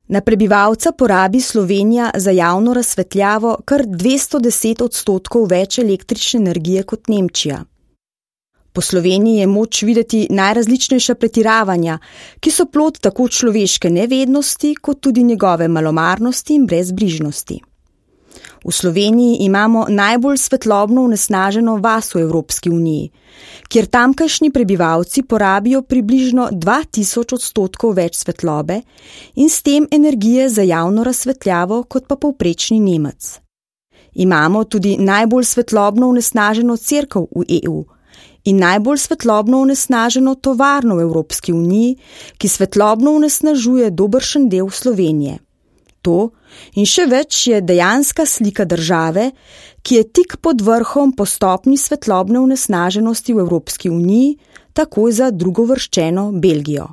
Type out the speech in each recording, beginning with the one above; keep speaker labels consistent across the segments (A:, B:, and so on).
A: Na prebivalca porabi Slovenija za javno razsvetljavo kar 210% več električne energije kot Nemčija. Po Sloveniji je moč videti najrazličnejša pretiravanja, ki so plod tako človeške nevednosti, kot tudi njegove malomarnosti in brezbrižnosti. V Sloveniji imamo najbolj svetlobno onesnaženo vas v Evropski uniji, kjer tamkajšnji prebivalci porabijo približno 2000% več svetlobe in s tem energije za javno razsvetljavo kot pa povprečni Nemec. Imamo tudi najbolj svetlobno onesnaženo cerkev v EU in najbolj svetlobno onesnaženo tovarno v Evropski uniji, ki svetlobno onesnažuje dobršen del Slovenije. To in še več je dejanska slika države, ki je tik pod vrhom po stopnji svetlobne onesnaženosti v Evropski uniji, takoj za drugovrščeno Belgijo.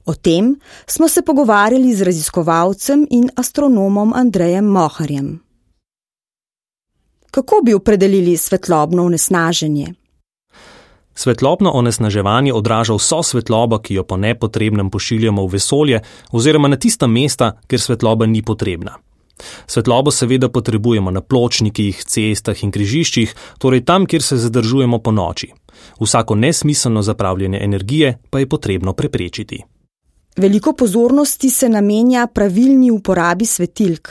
A: O tem smo se pogovarjali z raziskovalcem in astronomom Andrejem Moharjem. Kako bi opredelili svetlobno onesnaženje?
B: Svetlobno onesnaževanje odraža vso svetlobo, ki jo po nepotrebnem pošiljamo v vesolje oziroma na tista mesta, kjer svetloba ni potrebna. Svetlobo seveda potrebujemo na pločnikih, cestah in križiščih, torej tam, kjer se zadržujemo po noči. Vsako nesmiselno zapravljanje energije pa je potrebno preprečiti.
A: Veliko pozornosti se namenja pravilni uporabi svetilk.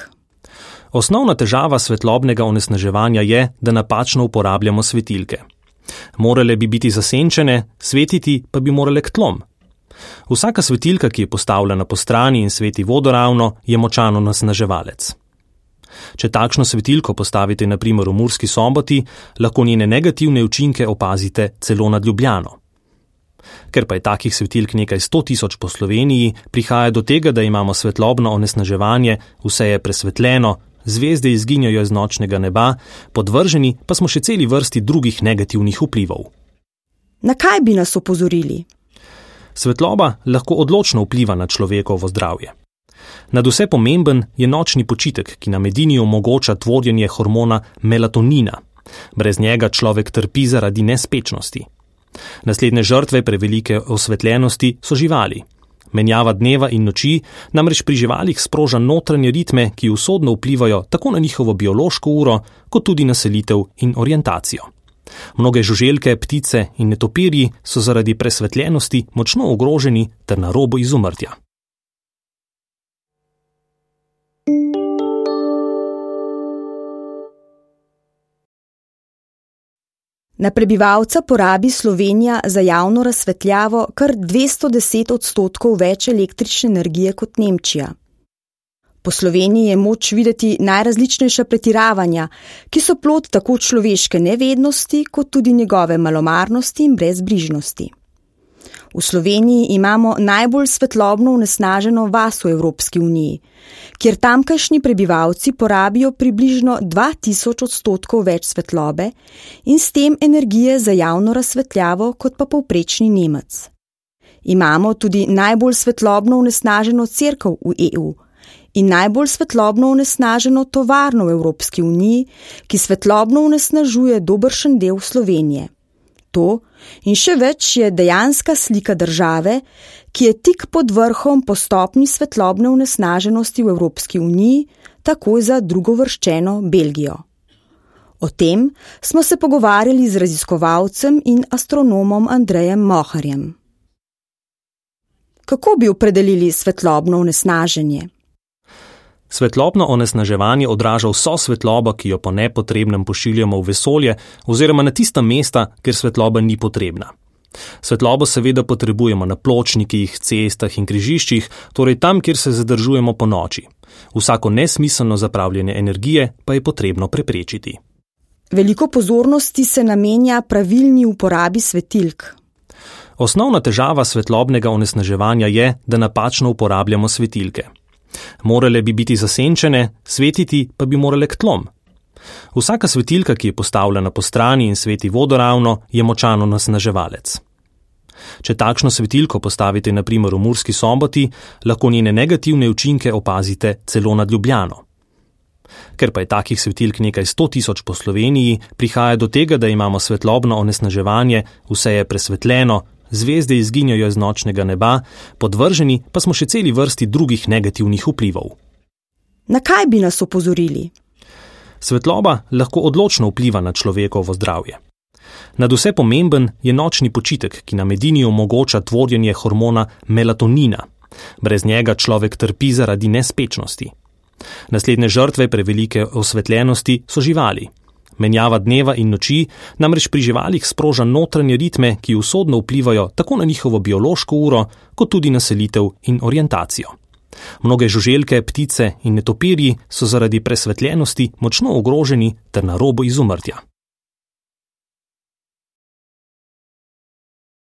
B: Osnovna težava svetlobnega onesnaževanja je, da napačno uporabljamo svetilke. Morale bi biti zasenčene, svetiti pa bi morale k tlom. Vsaka svetilka, ki je postavljena po strani in sveti vodoravno, je močan onesnaževalec. Če takšno svetilko postavite na primer v Murski Soboti, lahko njene negativne učinke opazite celo nad Ljubljano. Ker pa je takih svetilk nekaj 100.000 po Sloveniji, prihaja do tega, da imamo svetlobno onesnaževanje, vse je presvetljeno, zvezde izginjajo iz nočnega neba, podvrženi pa smo še celi vrsti drugih negativnih vplivov.
A: Na kaj bi nas opozorili?
B: Svetloba lahko odločno vpliva na človekovo zdravje. Nadvse pomemben je nočni počitek, ki nam edini omogoča tvorjenje hormona melatonina. Brez njega človek trpi zaradi nespečnosti. Naslednje žrtve prevelike osvetljenosti so živali. Menjava dneva in noči namreč pri živalih sproža notranje ritme, ki usodno vplivajo tako na njihovo biološko uro, kot tudi na selitev in orientacijo. Mnoge žuželke, ptice in netopirji so zaradi presvetljenosti močno ogroženi ter na robu izumrtja.
A: Na prebivalca porabi Slovenija za javno razsvetljavo kar 210% več električne energije kot Nemčija. Po Sloveniji je moč videti najrazličnejša pretiravanja, ki so plod tako človeške nevednosti, kot tudi njegove malomarnosti in brezbrižnosti. V Sloveniji imamo najbolj svetlobno onesnaženo vas v Evropski uniji, kjer tamkajšnji prebivalci porabijo približno 2000% več svetlobe in s tem energije za javno razsvetljavo kot pa povprečni Nemec. Imamo tudi najbolj svetlobno onesnaženo cerkev v EU in najbolj svetlobno onesnaženo tovarno v Evropski uniji, ki svetlobno onesnažuje dobršen del Slovenije. To in še več je dejanska slika države, ki je tik pod vrhom po stopnji svetlobne onesnaženosti v Evropski uniji, takoj za drugovrščeno Belgijo. O tem smo se pogovarjali z raziskovalcem in astronomom Andrejem Moharjem. Kako bi opredelili svetlobno onesnaženje?
B: Svetlobno onesnaževanje odraža vso svetlobo, ki jo po nepotrebnem pošiljamo v vesolje oziroma na tista mesta, kjer svetloba ni potrebna. Svetlobo seveda potrebujemo na pločnikih, cestah in križiščih, torej tam, kjer se zadržujemo po noči. Vsako nesmiselno zapravljanje energije pa je potrebno preprečiti.
A: Veliko pozornosti se namenja pravilni uporabi svetilk.
B: Osnovna težava svetlobnega onesnaževanja je, da napačno uporabljamo svetilke. Morale bi biti zasenčene, svetiti pa bi morale k tlom. Vsaka svetilka, ki je postavljena po strani in sveti vodoravno, je močan onesnaževalec. Če takšno svetilko postavite na primer v Murski Soboti, lahko njene negativne učinke opazite celo nad Ljubljano. Ker pa je takih svetilk nekaj 100.000 po Sloveniji, prihaja do tega, da imamo svetlobno onesnaževanje, vse je presvetljeno, zvezde izginjajo iz nočnega neba, podvrženi pa smo še celi vrsti drugih negativnih vplivov.
A: Na kaj bi nas opozorili?
B: Svetloba lahko odločno vpliva na človekovo zdravje. Nadvse pomemben je nočni počitek, ki nam edini omogoča tvorjenje hormona melatonina. Brez njega človek trpi zaradi nespečnosti. Naslednje žrtve prevelike osvetljenosti so živali. Menjava dneva in noči namreč pri živalih sproža notranje ritme, ki usodno vplivajo tako na njihovo biološko uro, kot tudi na selitev in orientacijo. Mnoge žuželke, ptice in netopirji so zaradi presvetljenosti močno ogroženi ter na robu izumrtja.